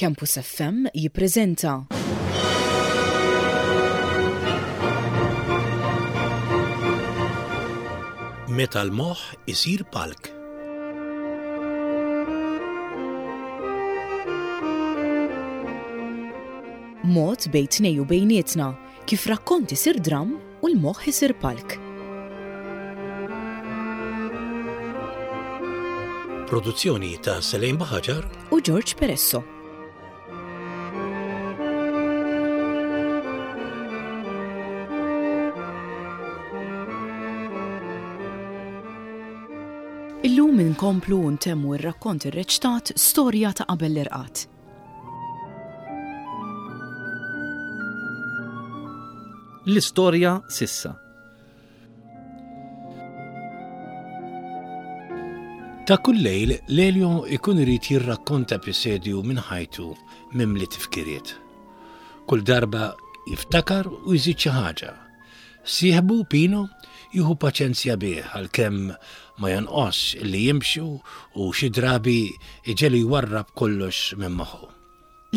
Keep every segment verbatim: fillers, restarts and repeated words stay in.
Campus F M jippreżenta Meta l-moħħ isir palk. Mod bejn tnejn u bejnietna kif rakkont isir dramm u l-moħħ isir palk. Produzzjoni ta' Selene Buhagiar u George Peresso. Illum inkomplu u ntemmu ir-rakkont irreċtat "Storja ta' qabel l-irqad". L-istorja s'issa. Ta' kull lejl, Lelio ikun irid jirrakkonta episodju minn ħajtu mimli tifkiriet. Kull darba jiftakar u jżid xi ħaġa. Sieħbu Pino jieħu paċenzja bih, għalkemm ma jonqos illi jimxu u xi drabi iġegħlu jwarrab kollox minn moħħu.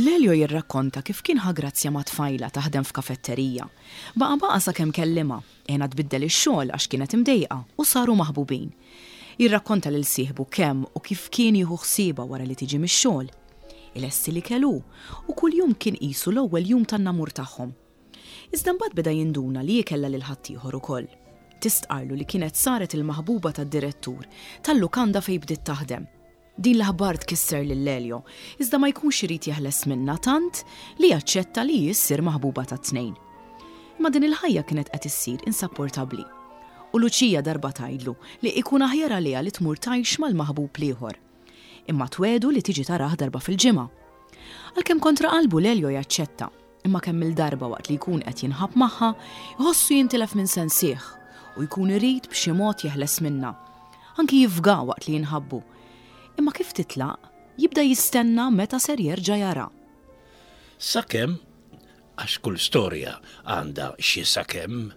Lelio jirrakkonta kif kien ħa grazzja ma' tfajla taħdem f'kafetterija. Baqa' baqa' sakemm kellimha, għenha tbiddel ix-xogħol għax kienet imdejqa u saru maħbubin. Jirrakkonta lil sieħbu kemm u kif kien jieħu ħsiebha wara li tiġi mix-xogħol. Ilesti l-ikel hu u kuljum kien qisu l-ewwel jum tan-namur tagħhom. Iżda mbagħad beda jinduna li kellha lil ħaddieħor ukoll. Tistqarlu li kienet saret il-maħbuba tad-direttur tal-lukanda fejn bdiet taħdem. Din l-aħbar tkisser lil Lelio, iżda ma jkunx irid jeħles minnha tant li jaċċetta li jissir maħbuba ta' tnejn. Imma din il-ħajja kienet qed issir insapportabbli. U Luċija darba tgħidlu li ikun aħjar għaliha li tmur tgħix mal-maħbub l-ieħor. Imma twiegħdu li tiġi tarah darba fil-ġimgħa. Għalkemm kontra qalbu, Lelio jaċċetta, imma kemm il-darba waqt li jkun qed jinħab magħha, jħossu jintilef minn sensih u jkun irid b'xi mod jeħles minnha. Anki jifga waqt li jinħabbu. Imma kif titlaq, jibda jistenna meta ser jerġa' jara. Sakemm, għax kull storja għandha xi sakemm.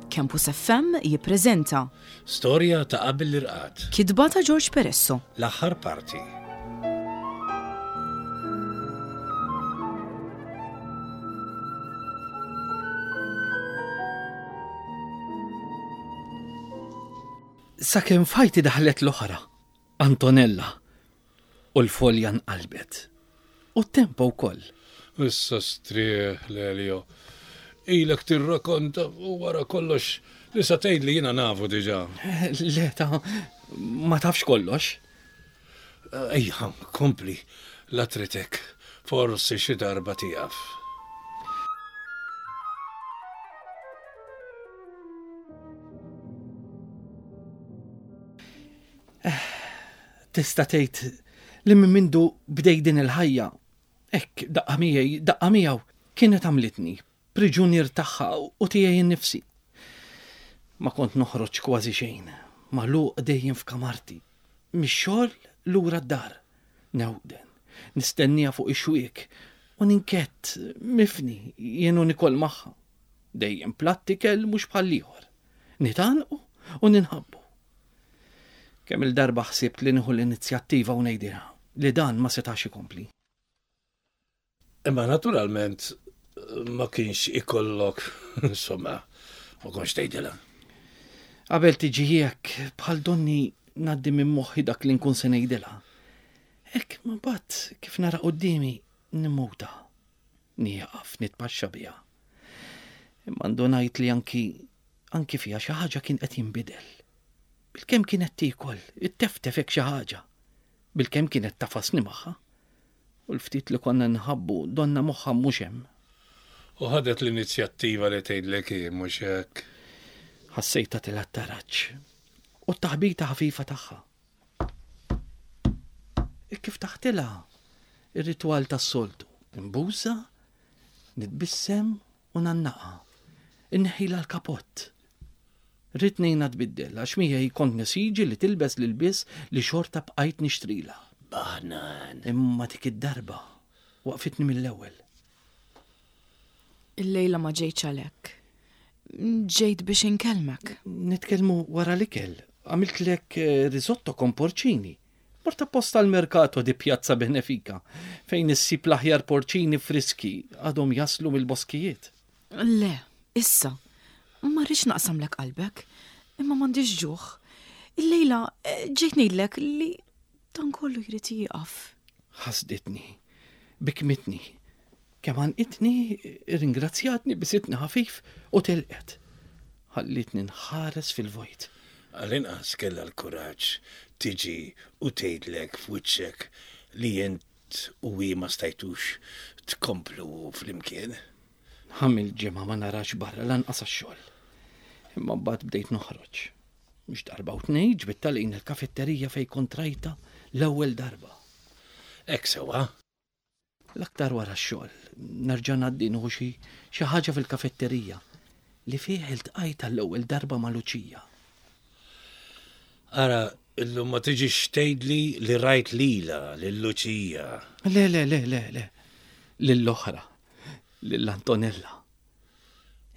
Campus F M jippreżenta Storja ta' qabel l-irqad. Kitba ta' George Peresso. L-aħħar parti. Sakemm f'ħajti daħlet l-oħra, Antonella, u l-folja nqalbet. U t-tempo wkoll. Issa strieħ, Lelio. Ilek tirrakonta u wara kollox li sa tgħid li jiena nafu diġà. Le, ta, ma tafx kollox. Ejja, kompli, la tritek. Forsi xi darba tieqaf. Tista' tgħid li minn mindu bdej din il-ħajja, hekk daqqa miegħi, daqqa miegħu, kienet għamlitni priġunier tagħha u tiegħi innifsi. Ma kont noħroġ kważi xejn, magħluq dejjem f'kamarti. Mix-xogħol lura d-dar. Newden, nistennija fuq ix-xwiek u ninkett mifni jien u nikol magħha. Dejjem platt ikel mhux bħal ieħor. Nitgħannqu u ninħabbu. Kemm il-darba ħsibt li nieħu l-inizjattiva u ngħidilha li dan ma setax ikompli. Imma naturalment ma kienx ikollok, insomma, ma kontx tgħidilha. Qabel tiġi hekk, bħal donni ngħaddi minn moħħi dak li nkun se ngħidilha. Hekk ma bat kif nara quddiemi nimmuta. Nieqaf nitpaxxa biha. Imma ndunajt li anki anki fiha xi ħaġa kien qed jinbidel. Bilkemm kienet tiekol, itteftef hekk xi ħaġa. Bilkemm kienet tagħfasni magħha. U l-ftit li konna nħabbu donna moħħha mhux hemm. U ħadet l-inizjattiva li tgħidlek hi, mhux hekk? Ħassejta tilgħa t-taraġ. U t-taħbita ħafifa tagħha. E kif taħtilha ir-ritwal tas-soltu. Inbusha, nitbissem u ngħannaqha. Inneħħilha l-kapott. Ridt ngħinha tbiddel għax miegħi kont nesiġi li tilbes l-ilbies li xorta bqajt nixtrila. Baħnan. Imma dik id-darba waqfitni mill-ewwel. Il-lejla ma ġejtx għalhekk. Ġejt biex inkellmek. Nitkellmu wara l-ikel. Għamiltlek eh, risotto con porcini. Mort apposta l-mercato di Piazza Benefika, fejn issib l-aħjar porċini friski għadhom jaslu mill-boskijiet. Le, issa. Ma rridx naqsamlek qalbek, imma m'għandix ġuħ. Illejla eh, ġejt ngħidlek li dan kollu jrid jieqaf. Ħasditni, bikmitni, kemm għannqitni, ringrazzjatni bisitni ħafif u telqet. Ħallitni nħares fil-vojt. Għal-inqas kellha l-kuraġġ tiġi u tgħidlek f'wiċċek li int u hi ma stajtux tkomplu flimkien. Għamilt ġimgħa ma narax barra lanqas għax-xogħol. Imma mbagħad bdejt noħroġ. Mhux darba u tnejn ġbidtha lejn il-kafetterija fejn kont rajtha l-ewwel darba. Hekk sewwa. L-aktar wara x-xogħol, nerġa' ngħaddi nieħu xi xi ħaġa fil-kafetterija li fih iltqajt għall-ewwel darba ma' Luċija. Ara, illum ma tiġix tgħidli li rajt lila lil Luċija. Le, le, le, le, le, lill-oħra, lill-Antonella.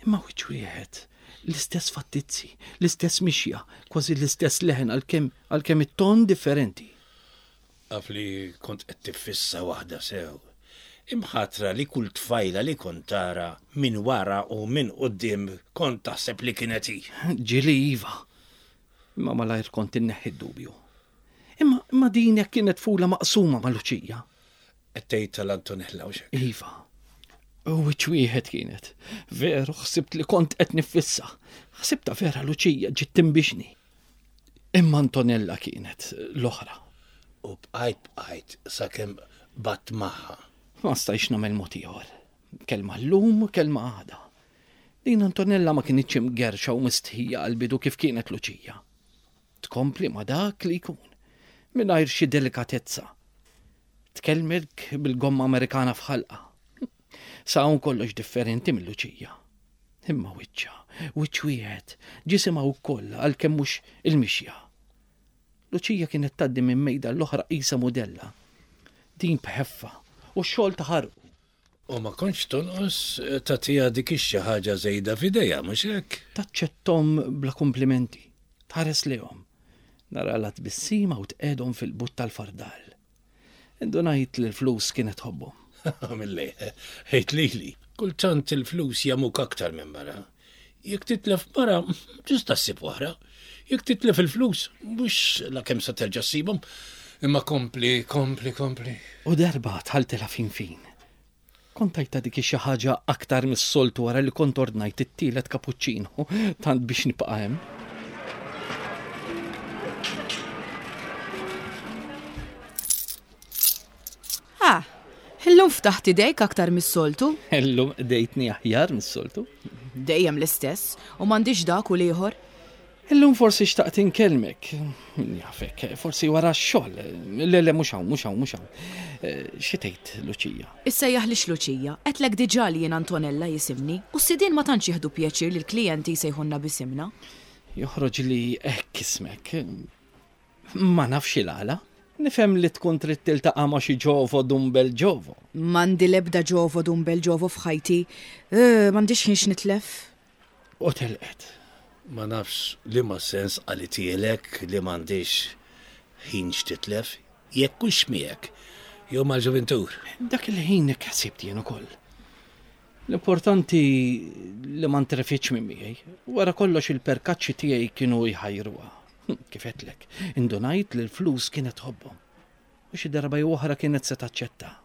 Imma wiċċ wieħed, l-istess fattizzi, l-istess mixja, kważi l-istess leħen għalkemm għalkemm it-ton differenti. Af li kont qed tiffissa waħda sew. Imħatra li kull tfajla li kont tara minn wara u minn quddiem kont taħseb li kienet hi. Ġieli iva. Imma malajr kont inneħħi d-dubju. Imma, imma din jekk kienet fula maqsuma ma' Luċija. Qed tgħid tal-Antonella u xek. Iva. U wiċċ wieħed kienet. Veru, ħsibt li kont qed niffissa. Ħsibta vera Luċija ġiet timbixni. Imma Antonella kienet l-oħra. U bqajt bqajt sakemm bat magħha. Ma stajx nagħmel mod ieħor. Kelma llum, kelma għada. Din Antonella ma kinitx imgerxa u mistħija għal-bidu kif kienet Luċija. Tkompli ma dak li jkun, mingħajr xi delikatezza. Tkellmek bil-gomma Amerikana f'ħalqa. Sa hawn kollox differenti minn Luċija. Imma wiċċa, wiċċ wieħed, ġisimha wkoll għalkemm mhux il-mixja. Luċija kienet tgħaddi minn mejda l-oħra qisha mudella. Din bħeffa u x-xogħol taħarqu. U ma kontx tonqos tagħtiha dik ix-xi ħaġa żejda f'idejha, mhux hekk? Taċċettom bla komplimenti, tħares lejhom. Nara la tbissima u tqegħdhom fil-but tal-fardal. Indunajt li l-flus kienet tħobbhom. Milli, ħejt lili. Kultant il-flus jagħmuk aktar minn mara. Jekk titlef mara, tista' ssib oħra. Jekk titlef il-flus, mhux la kemm sa terġa' ssibhom. Imma kompli, kompli, kompli. U darba dħaltilha fin fin. Kont tajtha dik xi ħaġa aktar mis-soltu wara li kont ordnajt it-tielet cappuccino, tant biex nibqa' hemm. Ah, illum ftaħt idejk aktar mis-soltu. Illum qdejtni aħjar mis-soltu. Dejjem l-istess u m'għandix dak u l-ieħor. Illum forsi xtaqt inkellmek. Min jafek, forsi wara x-xogħol. Le, le, mhux hawn, mhux hawn, mhux hawn. Eh, Xi tgħid, Luċija? Issejjaħlix Luċija, għedtlek diġà li jien Antonella jisimni u s-sidien ma tantx jieħdu pjaċir li l-klijenti jsejħulna bisimna. Joħroġ li hekk ismek. Ma nafx il-għala. Nifhem li tkun trid tiltaqa' ma' xi ġovo dun bel ġovo. M'għandi l-ebda ġovo dun bel ġovo f'ħajti. Eh, M'għandix ħin x'nitlef. U telqet. Ma nafx li ma sens qalitielek li m'għandix ħin x'titlef, jekk hux miegħek jew mal-ġuvintur. Dak il-ħin hekk ħsibt jien ukoll. L-importanti li ma ntrefitx minn miegħi. Wara kollox il-perkaċċi tiegħi kienu jħajruha. Hm, Kif għedtlek, indunajt li l-flus kienet tħobbhom. U xi darba jew oħra kienet se taċċetta.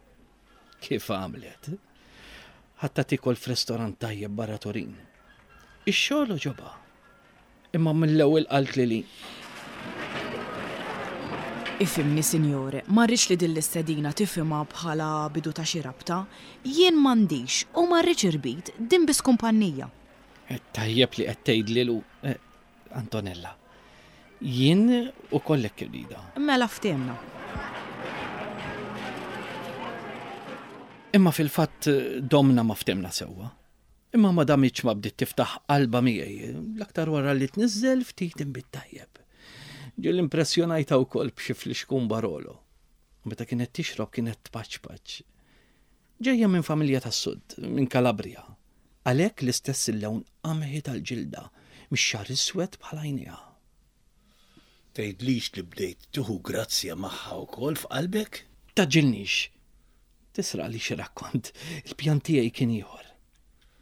Kif għamlet? Ħadtha tiekol f'restorant tajjeb barra Turin. Ix-xogħol għoġobha. Imma mill-ewwel qalt li li Ifhimni, sinjore, ma rridx li din l-istedina tifhimha bħala bidu ta' xi rabta. Jien m'għandix u ma rridx irbit, din biss kumpanija. Eh, Tajjeb li qed tgħidli lu eh, Antonella. Jien ukoll hekk irridha. Mela ftehmna. Imma fil-fatt eh, domna ma ftehmna sewwa. Imma ma damitx ma bdiet tiftaħ qalba miegħi, l-aktar wara li tniżżel ftit inbid tajjeb. Ġieli impressjonajtha wkoll b'xi flixkun Barolo. U meta kienet tixrob kienet tpaċpaċ. Ġejja minn familja tas-Sud, minn Kalabria. Għalhekk l-istess il-lewn qamħi tal-ġilda, mix-xagħar iswed bħal għajnejha. Tgħidlix li bdejt tieħu grazzja magħha wkoll f'qalbek? Tgħaġġilnix. Tisraqlix ir-rakkont. Il-pjan tiegħi kien ieħor.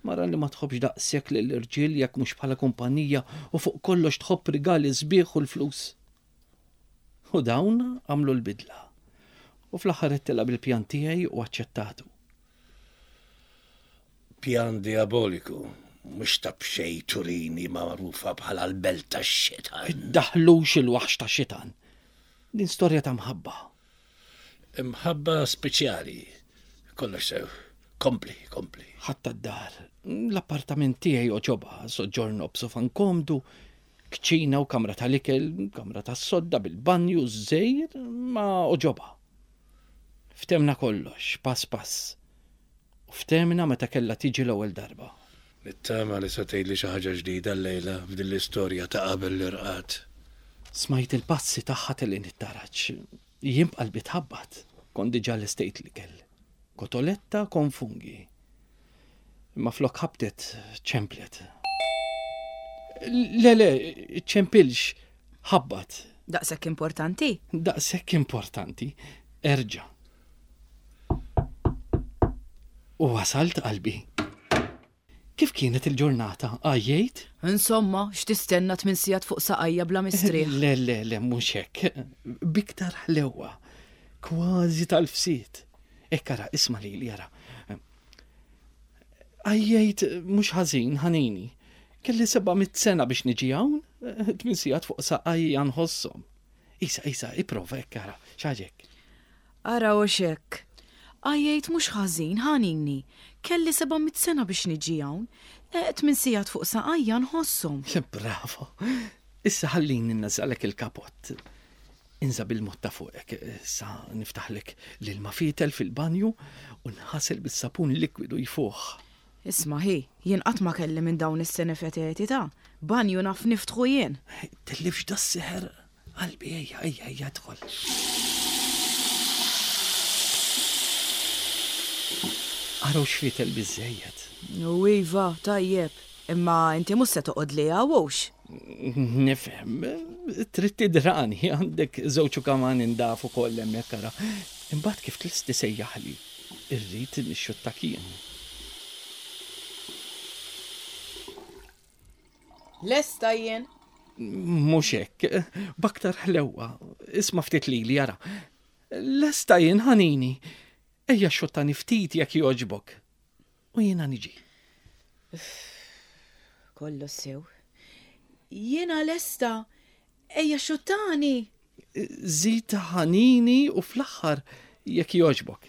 Mara li ma tħobbx daqshekk lill-irġiel jekk mhux bħala kumpanija u fuq kollox tħobb rigali sbieħ u l-flus. U dawn għamlu l-bidla. U fl-aħħar għedtilha bil-pjan tiegħi u aċċettatu. Pjan diaboliku, mhux ta' b'xejn Turin hi magħrufa bħala l-belt tax-xitan. Iddaħħlux il-waħx tax-xitan. Din storja ta' mħabba. Imħabba speċjali. Kollox sew. Kompli, kompli. Ħadtha d-dar. L-appartament tiegħi għoġobha, soġġorn b'sofan komdu, kċina u kamra tal-ikel, kamra tas-sodda bil-banju, żgħir, ma għoġobha. Ftehemna kollox, pass pass. U ftehemna meta kellha tiġi l-ewwel darba. Nittama li se tgħidli xi ħaġa ġdida llejla f'din l-istorja ta' qabel l-irqad. Smajt il-passi tagħha telgħin it-taraġ. Jien b'qalbi tħabbat, kont diġà lestejt l-ikel. Kotoletta con funghi. Imma flok ħabtet ċemplet. Le, le, ċempilx, ħabbat. Daqshekk importanti? Daqshekk importanti. Erġa'. U wasalt qalbi. Kif kienet il-ġurnata? Għajjejt? Insomma, x'tistenna tmien sigħat fuq saqajja bla mistrieħ? Le, le, le, mhux hekk. B'iktar ħlewa. Kważi tal-fsit. Hekk ara, isma' lili ara. Għajjejt mhux ħażin, ħanini. Kelli seba' mitt sena biex niġi hawn, tmien sigħat fuq saqajja nħosshom. Isa, isa, ipprova hekk ara, x'għaġek. Ara u xek. Għajjejt mhux ħażin, ħanini. Kelli seba' mitt sena biex niġi hawn. Tmien sigħat fuq saqajja nħosshom. Bravo. Issa ħallini nnażżagħlek il-kapott. Inża' bil-mod ta' fuqek, issa niftaħlek l-ilma fietel fil-banju u nħasel bis-sapun likwidu jfuħ. Isma' hi, jien qatt ma kelli minn dawn is-senefeteti ta' banju naf niftħu jien. Tellifx das-seħer, qalbi, ejja, ejja, ejja, dħol. Araw x'fietel biżżejjed. U iva, tajjeb, imma inti mhux se toqgħod li hawnx. Nifhem, trid tidrani, għandek żewġ kaman indaf ukoll hemmhekk ara. Imbagħad kif tlesti sejjaħli, irrid nixxuttak jien. Lesta jien? Mhux hekk, b'aktar ħlewwa, isma' ftit lili ara. Lesta jien ħanini. Ejja xottani ftit jekk jogħġbok. U jiena niġi. Kollu sew. Jiena lesta, ejja xottani. Żid ħanini u fl-aħħar jekk jogħġbok.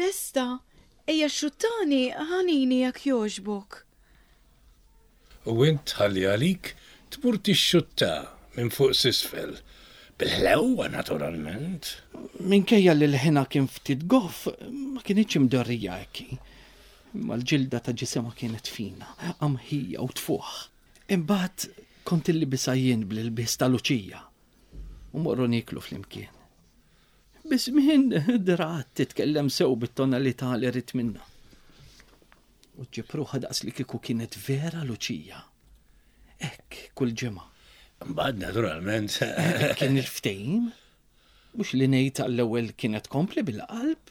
Lesta, ejja xottani ħanini jekk jogħġbok. U int ħalli għalik tmur tixxutta minn fuq s'isfel. Bil-ħlewwa naturalment. Minkejja li l-ħina kien ftit goff, ma kienitx imdorrija hekk. Imma l-ġilda ta' ġisimha kienet fina, qamħija u tfuħ. Imbagħad kont illibisha jien bl-ilbies ta' Luċija. U morru nieklu flimkien. Biż-żmien drat titkellem sew bit-tonalità li rrid minnha. U ġib ruħha daqs li kieku kienet vera Luċija. Hekk kull ġimgħa. Imbagħad naturalment. Kien il-ftehim. Mhux li ngħid għall-ewwel kienet kompli bil-qalb,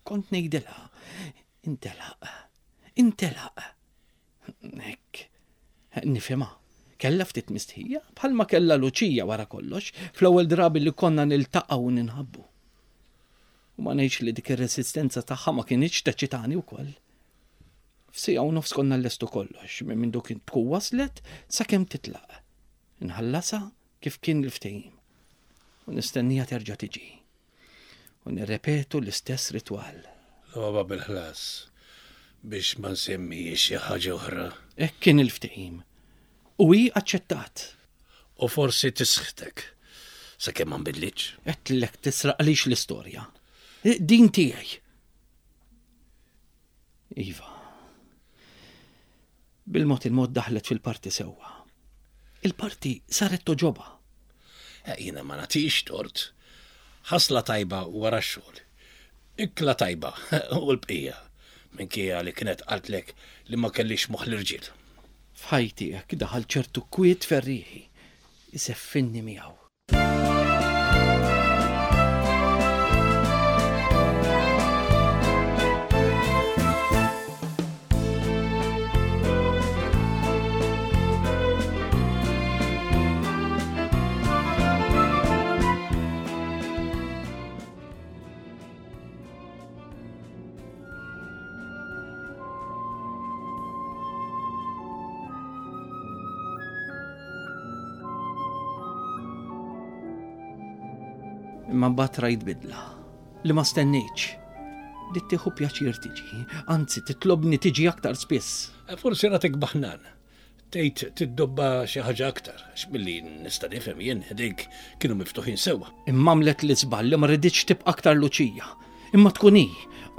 kont ngħidilha. Intelaq, intelaq. Hekk, nifhimha. Kellha ftit mistħija, bħalma kellha Luċija wara kollox, fl-ewwel drabi li konna niltaqgħu u ninħabbu. U ma ngħidx li dik ir-resistenza tagħha ma kinitx teċitani wkoll. F'sija u nofs konna llestu kollox, minn mindu kien tkun waslet sakemm titlaq. Nħallasha kif kien il-ftehim. U nistennija terġa' tiġi. U nirrepetu l-istess ritwal. Logħba bil-ħlas biex ma nsemmix xi ħaġa oħra. Hekk kien il-ftehim. U hi aċċettat. U forsi tisħtek sakemm ma nbidlitx. Għedtlek tisraqlix l-istorja. Din tiegħi. Iva. Bil-mod il-mod daħlet fil-parti sewwa. Il-parti saret toġoba. Eh, jiena ma nagħtix tort. Ħasla tajba wara x-xogħol. Ikla tajba u l-bqija. Minkejja li kienet qaltlek li ma kellix moħħ l-irġiel. F'ħajti hekk daħal ċertu kwiet ferrieħi, iseffinni miegħu. Imma mbagħad rajt bidla li ma stennejtx. Bdiet tieħu pjaċir tiġi, anzi titlobni tiġi aktar spiss. Forsi ratek baħnan. Tgħid tiddobba xi ħaġa aktar, għax milli nista' nifhem jien ħdejk kienu miftuħin sewwa. Imma għamlet l-iżball li ma riditx tibqa' aktar Luċija, imma tkun hi,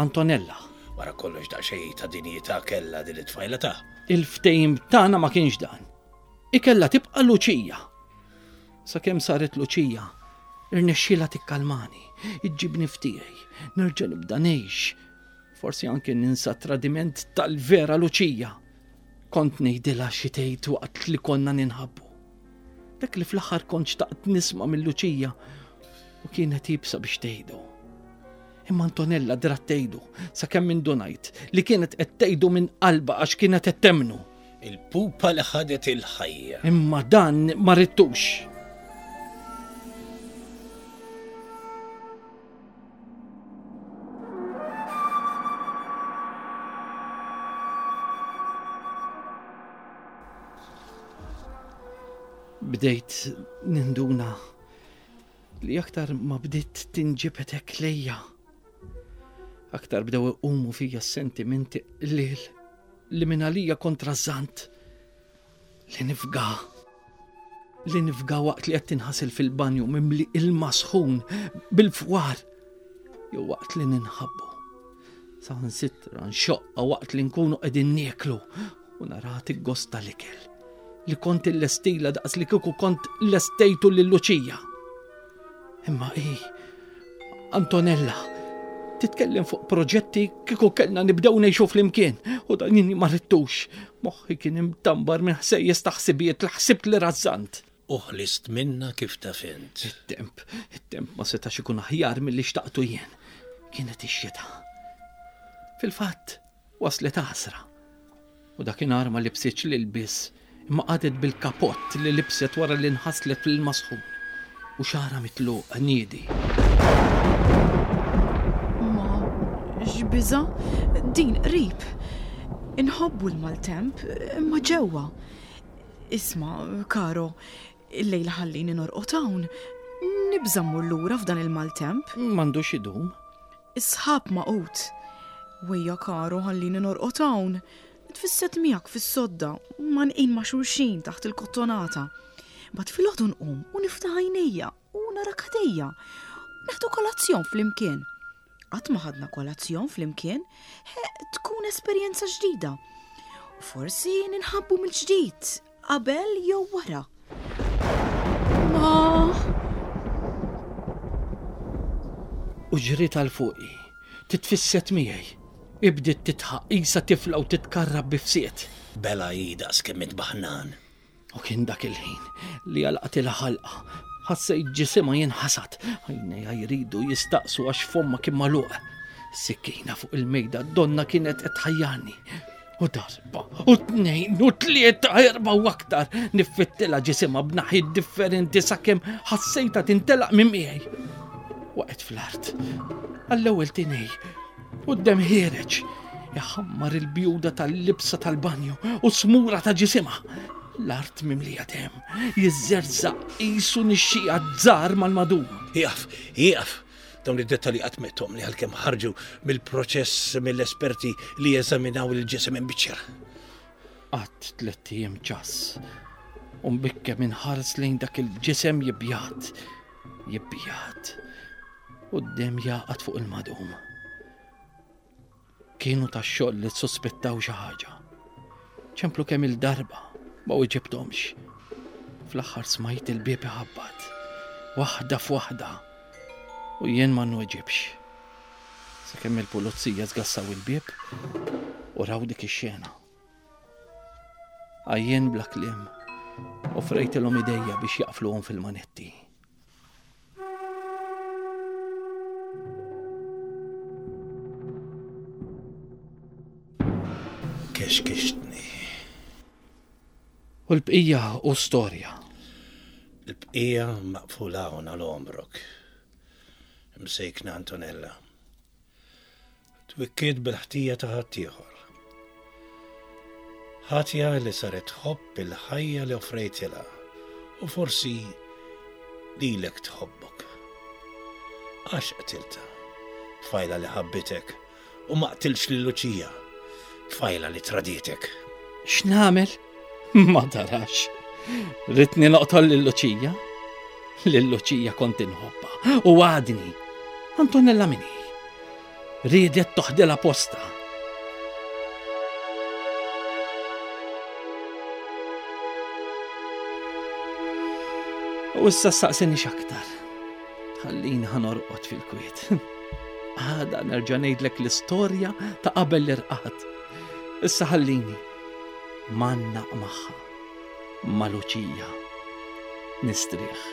Antonella. Wara kollox daqsxejn ta' dinjità kellha din it-tfajla ta'. Il-ftehim tagħna ma kienx dan. Ikella tibqa' Luċija. Sakemm saret Luċija, irnexxielha tikkalmani, iġġibni f'tiegħi, nerġa' nibda ngħix. Forsi anke ninsa tradiment tal-vera Luċija. Kont ngħidilha xi tgħid waqt li konna ninħabbu. Dak li fl-aħħar kont xtaqt nisma' minn Luċija u kienet iebsa biex tgħidu. Imma Antonella drat tgħidu sakemm indunajt li kienet qed tgħidu minn qalbha għax kienet qed temmnu. Il-pupa li ħadet il-ħajja. Imma dan ma ridtux. Bdejt ninduna li aktar ma bdiet tinġibed hekk lejja. Aktar bdew iqumu fija s-sentimenti qliel li minn għalija kont rażżant. Li nifga. Li nifga waqt li qed tinħasel fil-banju mimli ilma sħun bil-fwar jew waqt li ninħabbu. Saħansitra nxoqqa waqt li nkunu qegħdin nieklu u nara tiggosta l-ikel li kont illestila daqs li kieku kont lestejtu lil Luċija. Imma hi, Antonella, titkellem fuq proġetti kieku kellna nibdew ngħixu flimkien u dan jien ma ridtux. Moħħi kien imtambar minn ħsejjes ta' ħsibijiet li ħsibt li rażżant. U ħlist minna kif taf int. It-temp, it-temp ma setax ikun aħjar milli xtaqtu jien. Kienet ix-xita. Fil-fatt, waslet għasra. U dakinhar ma libsitx l-ilbies, imma qagħdet bil-kapott li libset wara li nħaslet fil-masħun u xara mitluq niedi. Ma, x'biża', din qrib. Inħobbu l-maltemp, imma ġewwa. Isma', Karo, illejla ħallini norqod hawn. Nibża' mmur lura f'dan il-maltemp. M'għandux idum. Is-sħab maqut. Wejja, Karo, ħallini norqod hawn. Tfisset miegħek fis-sodda, ma nqin ma' xulxin taħt il-kottonata. Bad filgħodu nqum u niftaħ għajnejja u nara kadejja. Neħdu kolazzjon flimkien. Qatt ma ħadna kolazzjon flimkien, he, tkun esperjenza ġdida. U forsi ninħabbu mill-ġdid, qabel jew wara. Ma U ġriet għal fuqi, titfisset miegħi. Ibdiet titħaq qisha tifla u titkarrab bifsiet. Bela hi daqs kemm int baħnan. U kien dak il-ħin li għalqatilha ħalqa. Ħassejt ġisimha jinħasad. Għajnejha jridu jistaqsu għax fomma kien magħluq. Sikkina fuq il-mejda donna kienet qed tħajjarni. U darba, u tnejn, u tlieta, erba' u aktar niffittilha ġisimha b'naħiet differenti sakemm ħassejtha tintelaq minn miegħi. Waqgħet fl-art. Għall-ewwel tinej. U d-dem ħiereġ, iħammar il-bjuda tal-libsa tal-banju u smura ta' ġisimha. L-art mimlija dem, jiżżerżaq qisu nixxija żgħar mal-madum. Ieqaf, ieqaf! Dawn id-dettalji qatt metthom li għalkemm ħarġu mill-proċess mill-esperti li jeżaminaw il-ġisem imbiċċer. Qatt tlett ijiem ċass, u mbikkem inħares lejn dak il-ġisem jibjat, jibjat, u d-dem jaqgħad fuq il-madum. Kienu tax-xogħol li ssuspettaw xi ħaġa. Ċemplu kemm il-darba ma weġibthomx. Fl-aħħar smajt il-bieb iħabbat, waħda f'waħda, u jien ma nweġibx. Sakemm il-pulizija żgassaw il-bieb u raw dik ix-xena. Għajjen bla kliem, offrejtilhom idejja biex jaqfluhom fil-manetti. Kexkixtni. U l-bqija u storja. Il-bqija maqfula hawn għal għomrok. Msejkna Antonella. Twikkiet bil-ħtija ta' ħaddieħor. Ħatja li saret tħobb il-ħajja li offrejtilha u forsi lilek tħobbok. Għax qtilta, tfajla li ħabbitek u ma qtilx lil Luċija, tfajla li traditek. X'nagħmel? Ma tarax. Ritni noqtol lil Luċija. Lil Luċija kont inħobbha u għadni. Antonella min hi? Riedet toħdilha posta. U issa saqsini x'aktar. Ħallini ħa norqod fil-kwiet. Għada nerġa' ngħidlek l-istorja ta' qabel l-irqad. Issa ħallini mannaq magħha, ma' Luċija. Nistrieħ.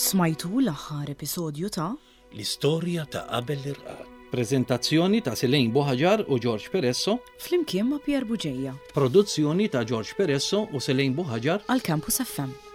Smajtu l-aħħar episodju ta' L-istorja ta' qabel l-irqad. Prezentazzjoni ta' Silejn Buħaġar u George Peresso, Flimkien ma' Pierre Buġeja produzzjoni ta' George Peresso u Silejn Buħaġar għal Campus F M.